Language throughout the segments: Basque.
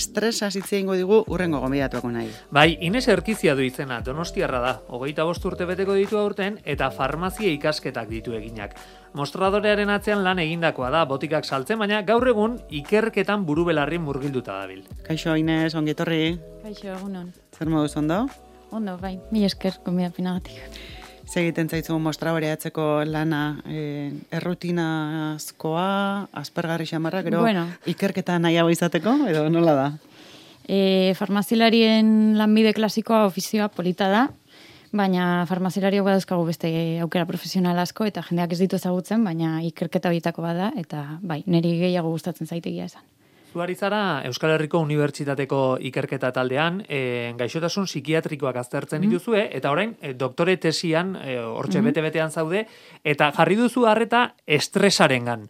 estresa hitz egingo digu urrengo gonbidatuak nahi. Bai, Ines Erkizia du izena, donostiarra da, 25 urte beteko ditu aurten, eta farmazia ikasketak ditu eginak. Mostradorearen atzean lan egindakoa da, botikak saltzen, baina gaur egun ikerketan burubelarri murgilduta dabil. Kaixo, Ines, ongi etorri. Kaixo, egunon. Zer moduz ondo? Ondo, bai, mila esker gonbidapenagatik. Egiten zaizu mostradoreatzeko lana errutinazkoa, aspergarri xamarra, gero ikerketa nahiago izateko, edo nola da? Farmazilarien lanbide klasikoa ofizioa polita da, baina farmazilariok badauzkagu beste aukera profesional asko, eta jendeak ez ditu ezagutzen, baina ikerketa horietako bada, eta bai, niri gehiago gustatzen zaitegia esan. Zuari zara Euskal Herriko Unibertsitateko ikerketa taldean, gaixotasun psikiatrikoak aztertzen dituzue, eta orain doktore tesian, hortxe bete-betean zaude, eta jarri duzu harreta estresarengan.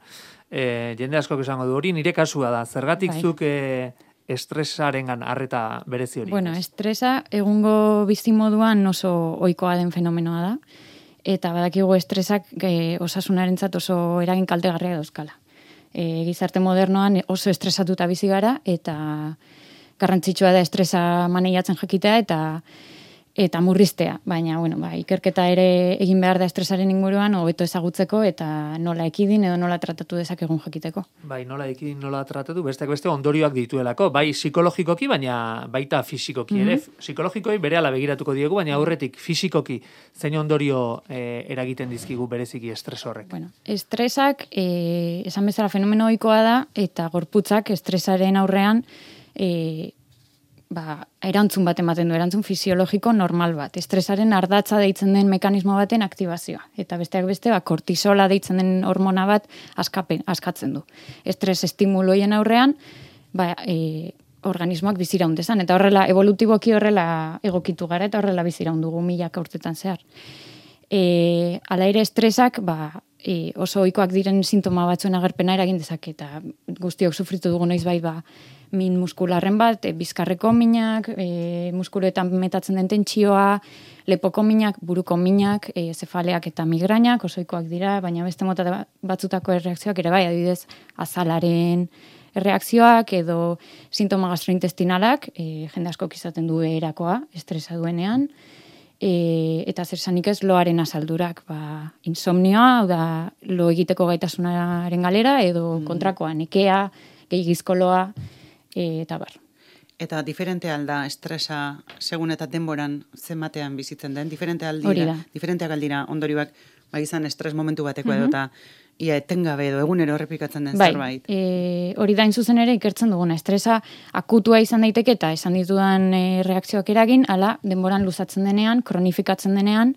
Jende askok esango du hori, nire kasua da. Zergatik zuk estresarengan harreta berezi hori? Bueno, estresa egungo bizimoduan oso ohikoa den fenomenoa da, eta badakigu estresak osasunarentzat oso eragin kaltegarria dauzkala. Gizarte modernoan oso estresatuta bizi gara, eta garrantzitsua da estresa maneiatzen jakitea eta murriztea. Baina, ikerketa ere egin behar da estresaren inguruan, hobeto ezagutzeko eta nola ekidin edo nola tratatu dezakegun jakiteko. Bai, nola ekidin, nola tratatu, besteak beste ondorioak dituelako, bai psikologikoki, baina baita fisikoki ere. Psikologikoi berehala begiratuko diegu, baina aurretik fisikoki zein ondorio eragiten dizkigu bereziki estres horrek. Bueno, estresak, esan bezala fenomeno ohikoa da, eta gorputzak estresaren aurrean erantzun bat ematen du, erantzun fisiologiko normal bat. Estresaren ardatza deitzen den mekanismo baten aktibazioa. Eta besteak beste, kortisola deitzen den hormona bat askatzen du. Estres estimuloien aurrean, organismoak biziraun dezan. Eta horrela, evolutiboki horrela egokitu gara, eta horrela biziraun dugu milaka urtetan zehar. Hala ere estresak, oso ohikoak diren sintoma batzuen agerpena eragin dezake, eta guztiok sufritu dugu noizbait min muskularren bat, bizkarreko minak, muskuloetan metatzen den tentsioa, lepoko minak, buruko minak, zefaleak eta migrainak, oso ohikoak dira, baina beste mota batzutako erreakzioak ere bai, adibidez, azalaren erreakzioak edo sintoma gastrointestinalak, jende askok izaten du erakoa, estresa duenean, eta zer esanik ez loaren asaldurak, insomnioa, hau da, lo egiteko gaitasunaren galera, edo kontrakoa, nekea, gehigizko loa, eta bar. Eta diferente alda estresa segun eta denboran zenbatean bizitzen den, diferenteak aldira ondorioak izan estres momentu bateko edo eta ia etengabe edo egunero errepikatzen den zerbait. Hori da zuzen ere ikertzen duguna. Estresa akutua izan daiteke eta esan ditudan reakzioak eragin, ala denboran luzatzen denean, kronifikatzen denean,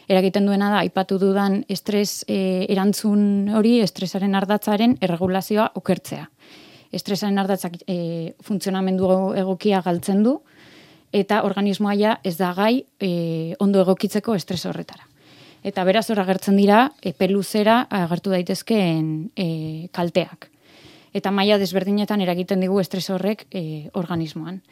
eragiten duena da, aipatu dudan estres erantzun hori, estresaren ardatzaren erregulazioa okertzea. Estresaren ardatzak funtzionamendu egokia galtzen du, eta organismoa ja ez da gai ondo egokitzeko estres horretara. Eta beraz hor agertzen dira, epe luzera agertu daitezkeen kalteak. Eta maila desberdinetan eragiten digu estres horrek organismoan.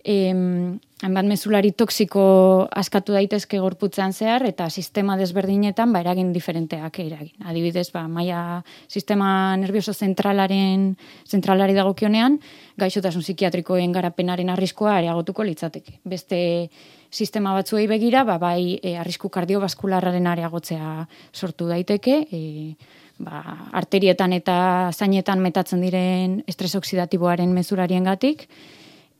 Hainbat mezulari toksiko askatu daitezke gorputzean zehar, eta sistema desberdinetan eragin diferenteak eragin. Adibidez, maila sistema nervioso zentralari dagokionean, gaixotasun psikiatrikoen garapenaren arriskua areagotuko litzateke. Beste sistema batzuei begira, bai arrisku kardiobaskularraren areagotzea sortu daiteke, arterietan eta zainetan metatzen diren estres oksidatiboaren mezulariengatik,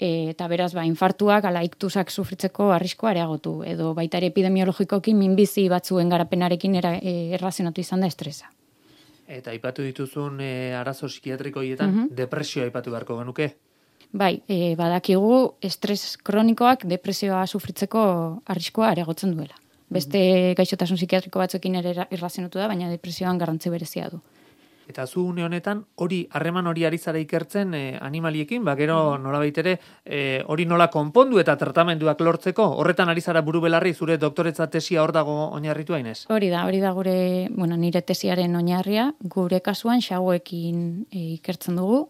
eta beraz, infartuak, ala iktusak sufritzeko arriskoa areagotu, edo baita ere epidemiologikoki minbizi batzuen garapenarekin erlazionatu izan da estresa. Eta aipatu dituzun arazo psikiatrikoietan, depresioa aipatu beharko genuke? Bai, badakigu estres kronikoak depresioa sufritzeko arriskoa areagotzen duela. Beste gaixotasun psikiatriko batzuekin ere erlazionatu da, baina depresioan garrantzi berezia du. Eta zu une honetan, harreman hori ari zara ikertzen animaliekin, gero nolabait ere hori nola konpondu eta tratamenduak lortzeko, horretan ari zara buru belarri zure doktoretza tesia hor dago oinarritu hainez? Hori da gure, nire tesiaren oinarria, gure kasuan xauekin ikertzen dugu.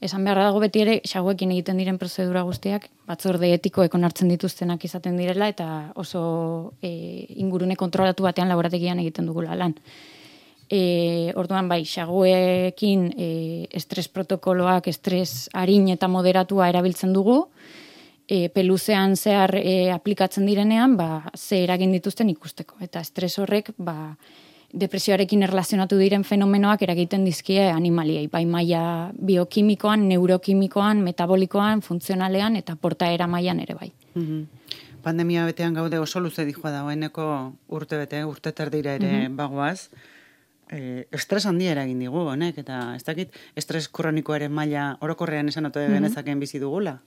Esan beharra dago beti ere, xauekin egiten diren prozedura guztiak, batzorde etikoek onartzen dituztenak izaten direla, eta oso ingurune kontrolatu batean laborategian egiten dugula lan. Orduan bai, xaguekin estres protokoloak, estres arin eta moderatua erabiltzen dugu, peluzean zehar aplikatzen direnean, ze eragin dituzten ikusteko. Eta estres horrek, depresioarekin erlazionatu diren fenomenoak eragiten dizkie animaliei, bai maila biokimikoan, neurokimikoan, metabolikoan, funtzionalean eta portaera mailan ere bai. Pandemia betean gaude oso luze dijoa dagoeneko urte terdira ere bagoaz. Estres handia eragin digu, honek, eta ez dakit, estres kronikoaren maila orokorrean esan ote genezaken bizi dugula?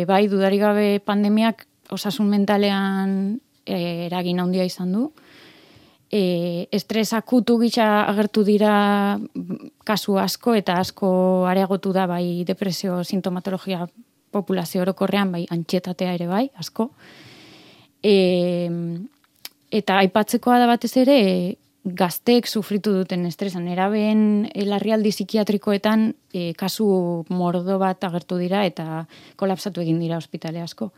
Bai, dudarik gabe pandemiak osasun mentalean eragin handia izan du. Estres akutu gisa agertu dira kasu asko eta asko areagotu da bai depresio sintomatologia populazio orokorrean, bai antsietatea ere bai, asko. Eta aipatzekoa da batez ere gazteek sufritu duten estresan, nerabeen larrialdi psikiatrikoetan kasu mordo bat agertu dira eta kolapsatu egin dira ospitale asko.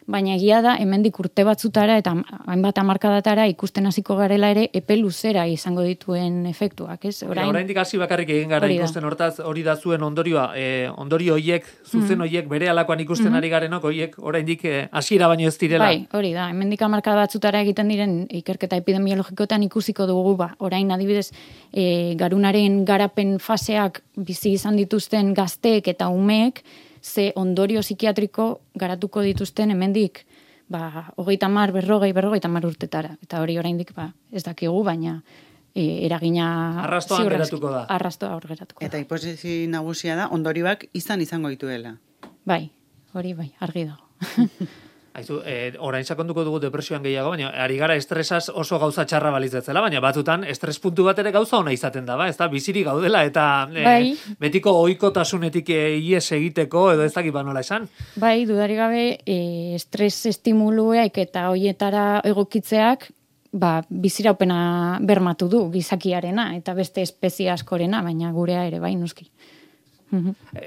Baina egia da, hemendik urte batzutara eta hainbat hamarkadatara ikusten hasiko garela ere epe luzera izango dituen efektuak, ez? Oraindik hasi bakarrik egin gara ikusten hortaz, hori da zuen ondorioa, ondorio hoiek, zuzen hoiek, bere alakoan ikusten ari garenok, hoiek oraindik hasiera baino ez direla. Bai, hori da, hemendik hamarkada batzutara egiten diren ikerketa epidemiologikoetan ikusiko dugu, orain adibidez, garunaren garapen faseak bizi izan dituzten gazteek eta umeek, ze ondorio psikiatriko garatuko dituzten hemendik 30, 40 urtetara. Eta hori oraindik ez dakigu, baina eragina arrastoan geratuko da. Arrastoa hor geratuko da. Eta hipotesi nagusia da ondorioak izango dituela. Bai, hori bai, argi dago. Aizu, orain sakonduko dugu depresioan gehiago, baina ari gara estresaz oso gauza txarra balizetzela, baina batzutan estres puntu bat ere gauza ona izaten da, ez da, biziri gaudela, eta betiko ohikotasunetik ies egiteko, edo ez dakit nola esan. Bai, dudarik gabe, estres estimuluek eta hoietara egokitzeak, biziraupena bermatu du gizakiarena, eta beste espezie askorena, baina gurea ere bai, noski.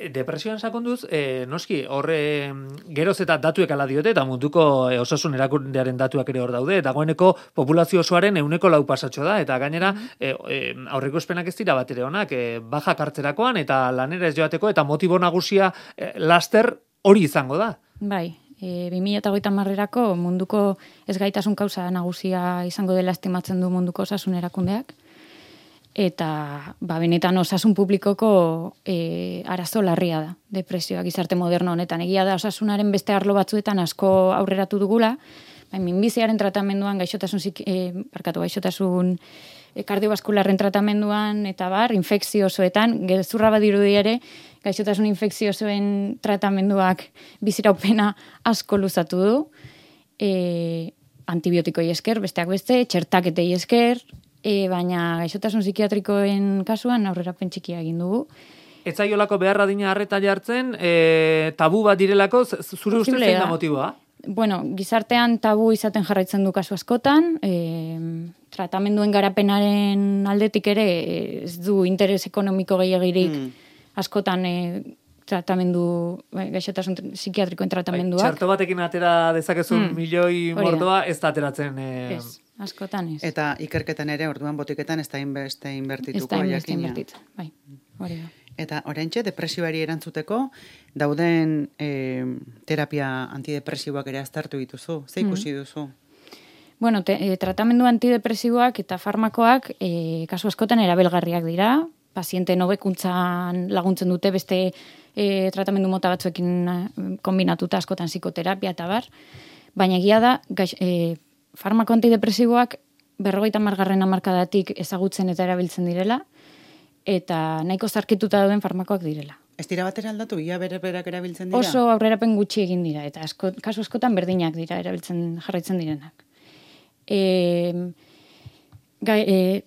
Depresioan sakonduz, noski, horre geroz eta datuek ala diote, eta munduko osasun erakundearen datuak ere hor daude, dagoeneko populazio osoaren 4% pasatxo da, eta gainera aurreko espenak ez dira bat ere honak, bajak hartzerakoan, eta lanera ez joateko, eta motibo nagusia laster hori izango da. Bai, 2030erako munduko ezgaitasun kausa nagusia izango dela estimatzen du munduko osasun erakundeak, eta benetan osasun publikoko arazo larria da, depresioa gizarte moderno honetan. Egia da osasunaren beste arlo batzuetan asko aurreratu dugula, minbiziaren tratamenduan, gaixotasun kardiobaskularren tratamenduan, eta infekziosoetan, gezurra badirudi ere, gaixotasun infekziosoen tratamenduak biziraupena asko luzatu du, antibiotikoei esker, besteak beste, txertaketei esker, baina gaixotasun psikiatrikoen kasuan aurrerapen txikia egin dugu. Ez zaiolako beharra dina harreta jartzen, tabu bat direlako, zure ustez zein da motiboa? Bueno, gizartean tabu izaten jarraitzen du kasu askotan, tratamenduen garapenaren aldetik ere ez du interes ekonomiko gehiagirik askotan tratamendu, gaixotasun psikiatrikoen tratamendua. Txerto batekin atera dezakezun milioi mordoa ez da ateratzen. Ez, askotan ez. Eta ikerketan ere, orduan botiketan ez da inbeste inbertituko. Ez da inbeste inbertitzen, bai, hori da. Eta oraintxe, depresioari erantzuteko, dauden terapia antidepresiboak ere aztertu dituzu. Ze ikusi duzu? Bueno, tratamendu antidepresiboak eta farmakoak kasu askotan erabilgarriak dira, paziente hobekuntzan laguntzen dute beste tratamendu mota batzuekin kombinatuta askotan psikoterapia eta bar, baina egia da farmako antidepresiboak 50. hamarkadatik ezagutzen eta erabiltzen direla, eta nahiko zarkituta dauden farmakoak direla. Ez dira batera aldatu, ia berak erabiltzen dira? Oso aurrerapen gutxi egin dira, eta kasu askotan berdinak dira jarraitzen direnak.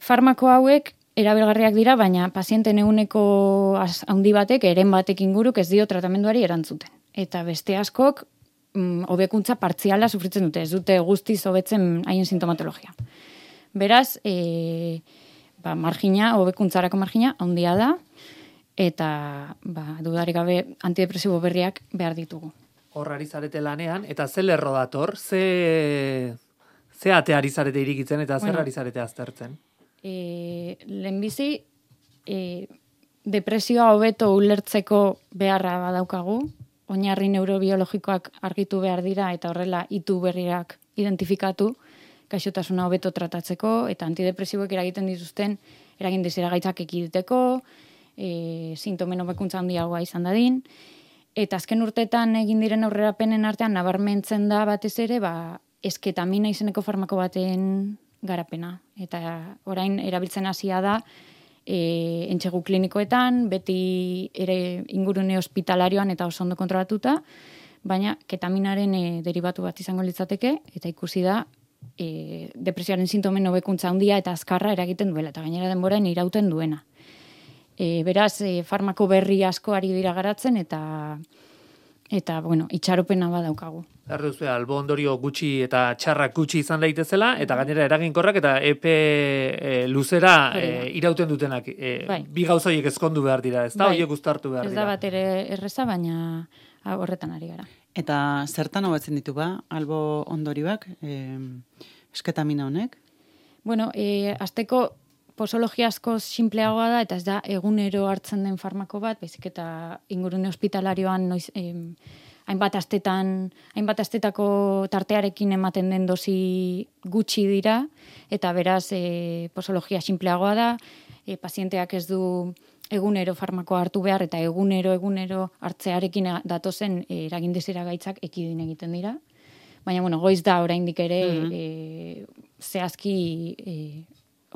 Farmako hauek erabilgarriak dira, baina pazienten ehuneko handi batek, eren batek inguruk ez dio tratamenduari erantzuten. Eta beste askok hobekuntza partziala sufritzen dute, ez dute guztiz hobetzen haien sintomatologia. Beraz, hobekuntzarako margina handia da, eta dudarik gabe antidepresibo berriak behar ditugu. Horrari zarete lanean, eta ze lerro dator, ze ateari zarete irikitzen eta zer ari zarete aztertzen? lehenbizi, depresioa hobeto ulertzeko beharra badaukagu, oinarri neurobiologikoak argitu behar dira eta horrela itu berriak identifikatu, gaixotasuna hobeto tratatzeko eta antidepresiboek eragin dizera gaitzak ekiditeko, sintomen hobekuntza handiagoa izan dadin, eta azken urteetan egin diren aurrerapenen artean nabarmentzen da batez ere, esketamina izeneko farmako baten garapena. Eta orain erabiltzen hasia da, entsegu klinikoetan, beti ere ingurune hospitalarioan eta oso ondo kontrolatuta, baina ketaminaren derivatu bat izango litzateke, eta ikusi da, depresioaren sintomen hobekuntza handia eta azkarra eragiten duela, eta gainera denboraen irauten duena. Beraz, farmako berri asko ari dira garatzen, eta itxaropena badaukagu. Erduzu, albo ondorio gutxi eta txarrak gutxi izan daitezela, eta gainera eraginkorrak eta epe luzera irauten dutenak. Bi gauza horiek ezkondu behar dira, ez da? Horiek uztartu behar dira. Ez da bat ere erreza, baina horretan ari gara. Eta zertan hobetzen ditu albo ondorioak, esketamina honek? Bueno, azteko posologia asko sinpleagoa da, eta ez da egunero hartzen den farmako bat, baizik eta ingurune hospitalarioan hainbat astetako tartearekin ematen den dosi gutxi dira, eta beraz posologia sinpleagoa da, pazienteak ez du egunero farmakoa hartu behar, eta egunero hartzearekin datozen eragindezera gaitzak ekidin egiten dira. Baina, goiz da oraindik ere zehazki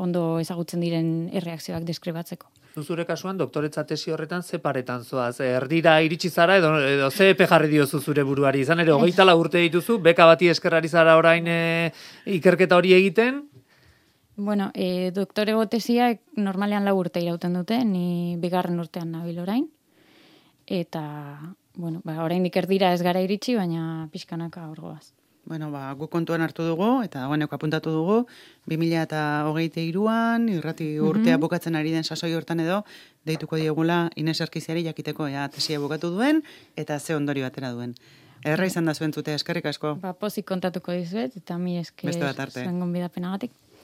ondo ezagutzen diren erreakzioak deskribatzeko. Zure kasuan, doktoretza tesi horretan ze paretan zoaz? Erdira iritsi zara edo ze epe jarri diozu zure buruari? Izan ere, 24 urte dituzu, beka bati eskerrari zara orain ikerketa hori egiten? Bueno, doktorego tesiak normalean 4 urte irauten dute, ni 2. urtean nabil orain. Eta, oraindik erdira ez gara iritsi, baina pixkanaka horgoaz. Guk kontuan hartu dugu, eta dagoeneko apuntatu dugu, 2023an, irrati urtea bukatzen ari den sasoi hortan edo, deituko diegula Ines Erkiziari jakiteko tesia bukatu duen, eta ze ondorio atera duen. Erra izan da zuen zute, eskerrik asko. Pozik kontatuko dizuet, eta mi esker zuen gonbidapenagatik.